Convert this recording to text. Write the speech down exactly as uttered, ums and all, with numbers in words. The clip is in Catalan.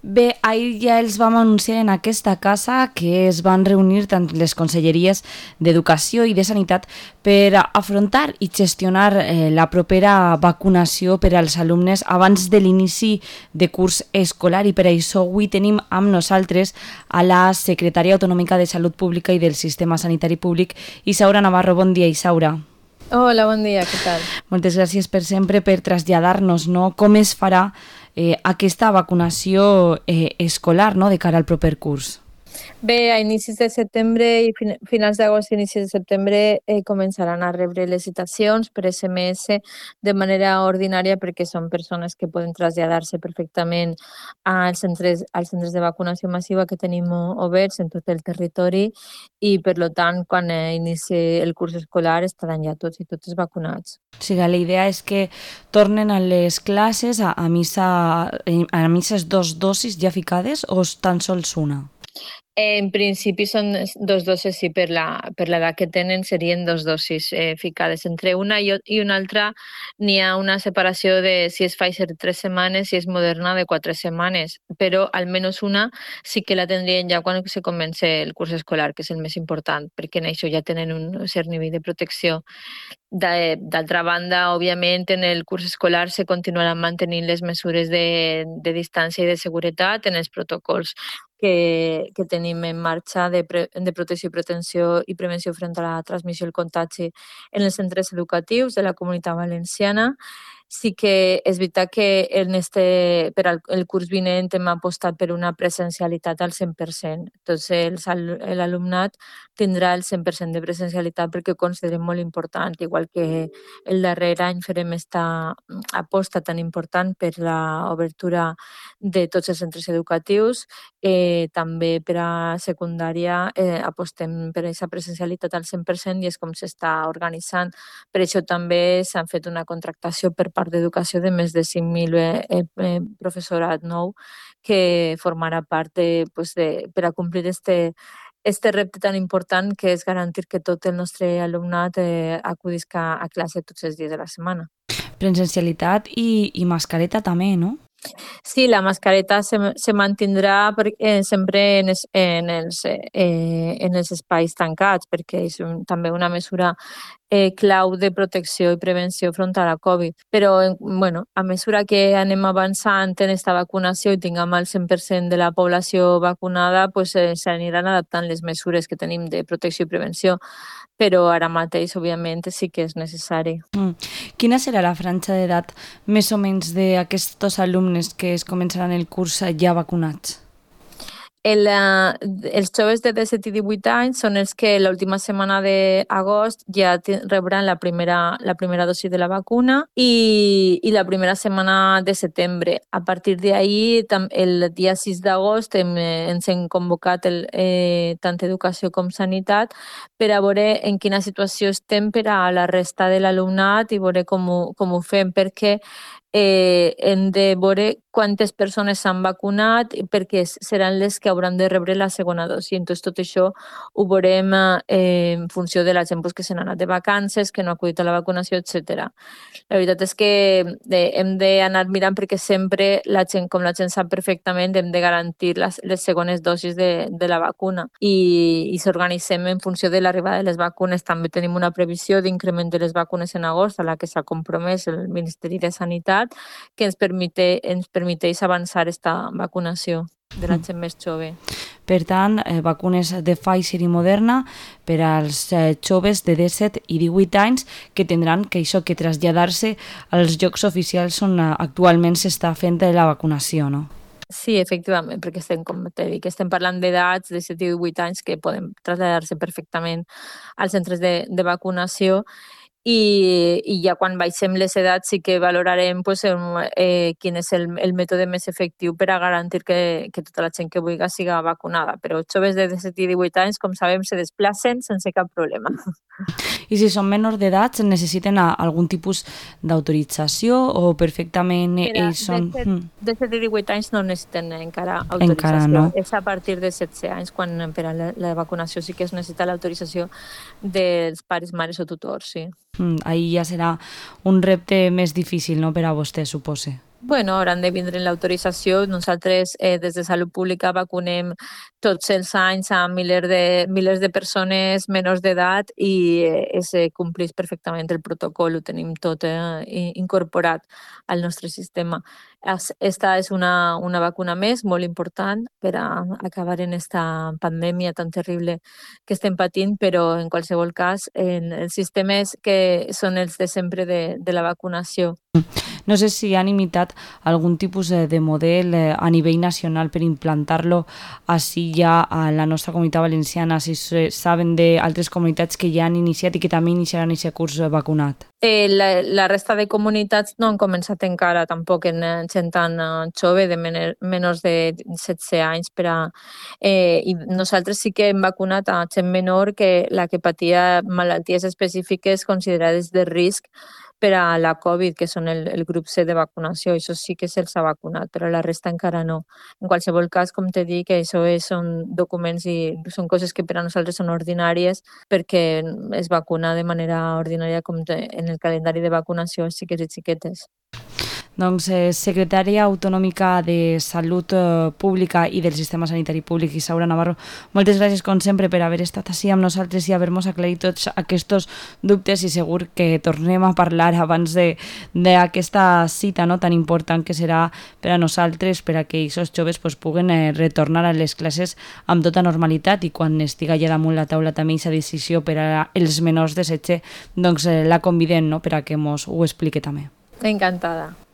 Bé, ahir ja els vam anunciar en aquesta casa que es van reunir tant les conselleries d'Educació i de Sanitat per afrontar i gestionar eh, la propera vacunació per als alumnes abans de l'inici de curs escolar, i per això avui tenim amb nosaltres a la secretària autonòmica de Salut Pública i del Sistema Sanitari Públic, Isaura Navarro. Bon dia, Isaura. Hola, bon dia, què tal? Moltes gràcies per sempre per traslladar-nos, no?, com es farà eh, aquesta vacunació eh, escolar, no?, de cara al proper curs. Bé, a inicis de setembre i fin finals d'agost i inicis de setembre eh, començaran a rebre les citacions per S M S de manera ordinària, perquè són persones que poden traslladar-se perfectament als centres, als centres de vacunació massiva que tenim oberts en tot el territori, i per tant, quan eh, inici el curs escolar estaran ja tots i totes vacunats. O sigui, la idea és que tornen a les classes a, a, missa, a misses dos dosis ja ficades o tan sols una? En principi són dos dosis, sí, per la per l'edat que tenen serien dos dosis eh, ficades. Entre una i, i una altra n'hi ha una separació de si és Pfizer de tres setmanes i si és Moderna de quatre setmanes, però almenys una sí que la tindrien ja quan se comença el curs escolar, que és el més important, perquè en això ja tenen un cert nivell de protecció. D'altra banda, òbviament, en el curs escolar se continuaran mantenint les mesures de, de distància i de seguretat en els protocols que, que tenim en marxa de, pre, de protecció i prevenció i prevenció front a la transmissió i el contagi en els centres educatius de la Comunitat Valenciana. Sí que és veritat que en este, per al el curs vinent hem apostat per una presencialitat al cent per cent. Entonces, l'alumnat tindrà el cent per cent de presencialitat perquè ho considerem molt important, igual que el darrer any farem esta aposta tan important per l'obertura de tots els centres educatius. Eh, també per a secundària eh, apostem per aquesta presencialitat al cent per cent i és com s'està organitzant. Per això també s'han fet una contractació per part d'Educació de més de cinc mil eh, eh, professorat nou que formarà part de, pues de, per a complir este, este repte tan important que és garantir que tot el nostre alumnat eh, acudisca a classe tots els dies de la setmana. Presencialitat i, i mascareta també, no? Sí, la mascareta se, se mantindrà per, eh, sempre en, es, en, els, eh, en els espais tancats, perquè és un, també una mesura eh, clau de protecció i prevenció front a la Covid. Però, bueno, a mesura que anem avançant en aquesta vacunació i tinguem el cent per cent de la població vacunada, pues, eh, s'aniran adaptant les mesures que tenim de protecció i prevenció. Però ara mateix, òbviament, sí que és necessari. Mm. Quina serà la franja d'edat més o menys d'aquests alumnes que es començaran el curs ja vacunats? El, uh, els joves de disset i divuit anys són els que l'última setmana d'agost ja rebran la primera, la primera dosi de la vacuna i, i la primera setmana de setembre. A partir d'ahir, el dia sis d'agost, hem, ens hem convocat el, eh, tant Educació com Sanitat per a veure en quina situació estem per a la resta de l'alumnat i veure com ho, com ho fem, perquè eh, hem de veure quantes persones s'han vacunat perquè seran les que hauran de rebre la segona dosi. Entonces, tot això ho veurem eh, en funció de la gent pues, que se n'ha anat de vacances, que no ha acudit a la vacunació, etcètera. La veritat és que eh, hem d'anar mirant perquè sempre, la gent, com la gent sap perfectament, hem de garantir les, les segones dosis de, de la vacuna i, i s'organitzem en funció de l'arribada de les vacunes. També tenim una previsió d'increment de les vacunes en agost a la que s'ha compromès el Ministeri de Sanitat, que ens permite, ens permeteix avançar aquesta vacunació de la gent més jove. Per tant, eh, vacunes de Pfizer i Moderna per als eh, joves de disset i divuit anys que tindran que això que traslladar-se als llocs oficials on actualment s'està fent la vacunació, no? Sí, efectivament, perquè estem, com t'he dit, estem parlant d'edats de disset i divuit anys que poden traslladar-se perfectament als centres de, de vacunació. I, i ja quan baixem les edats sí que valorarem pues, eh, quin és el, el mètode més efectiu per a garantir que, que tota la gent que vulgui siga vacunada. Però els joves de disset i divuit anys, com sabem, se desplacen sense cap problema. I si són menors d'edat, necessiten algun tipus d'autorització o perfectament Mira, ells són... disset i divuit anys no necessiten encara autorització. Encara no. És a partir de setze anys quan per a la, la vacunació sí que es necessita l'autorització dels pares, mares o tutors, sí. Mm, ahí ja serà un repte més difícil, no?, per a vostè, supose. Bueno, hauran de vindre l'autorització. Nosaltres, eh, des de Salut Pública, vacunem tots els anys a milers de, milers de persones menors d'edat i eh, es compleix perfectament el protocol, ho tenim tot eh, incorporat al nostre sistema. Esta és una, una vacuna més molt important per a acabar en esta pandèmia tan terrible que estem patint, però en qualsevol cas en els sistemes que són els de sempre de, de la vacunació. No sé si han imitat algun tipus de model a nivell nacional per implantar-lo així ja a la nostra comunitat valenciana, si saben d'altres comunitats que ja han iniciat i que també iniciaran aquest curs vacunat. Eh, la, la resta de comunitats no han començat encara tampoc en gent tan jove, de men menors de setze anys, per a, eh, i nosaltres sí que hem vacunat a gent menor que la que patia malalties específiques considerades de risc per a la Covid, que són el, el grup C de vacunació. Això sí que se'ls ha vacunat, però la resta encara no. En qualsevol cas, com te dic, això és, són documents i són coses que per a nosaltres són ordinàries perquè es vacuna de manera ordinària com te, en el calendari de vacunació als xiquets i xiquetes. Doncs, eh, secretària autonòmica de Salut eh, Pública i del Sistema Sanitari Públic, Isaura Navarro, moltes gràcies com sempre per haver estat així amb nosaltres i haver-nos aclarit tots aquests dubtes i segur que tornem a parlar abans d'aquesta cita no, tan important que serà per a nosaltres, per a que aquests joves pues, puguen eh, retornar a les classes amb tota normalitat i quan estiga ja damunt la taula també aquesta decisió per als menors de setze, doncs eh, la convidem no, per a que ens ho expliqui també. Encantada.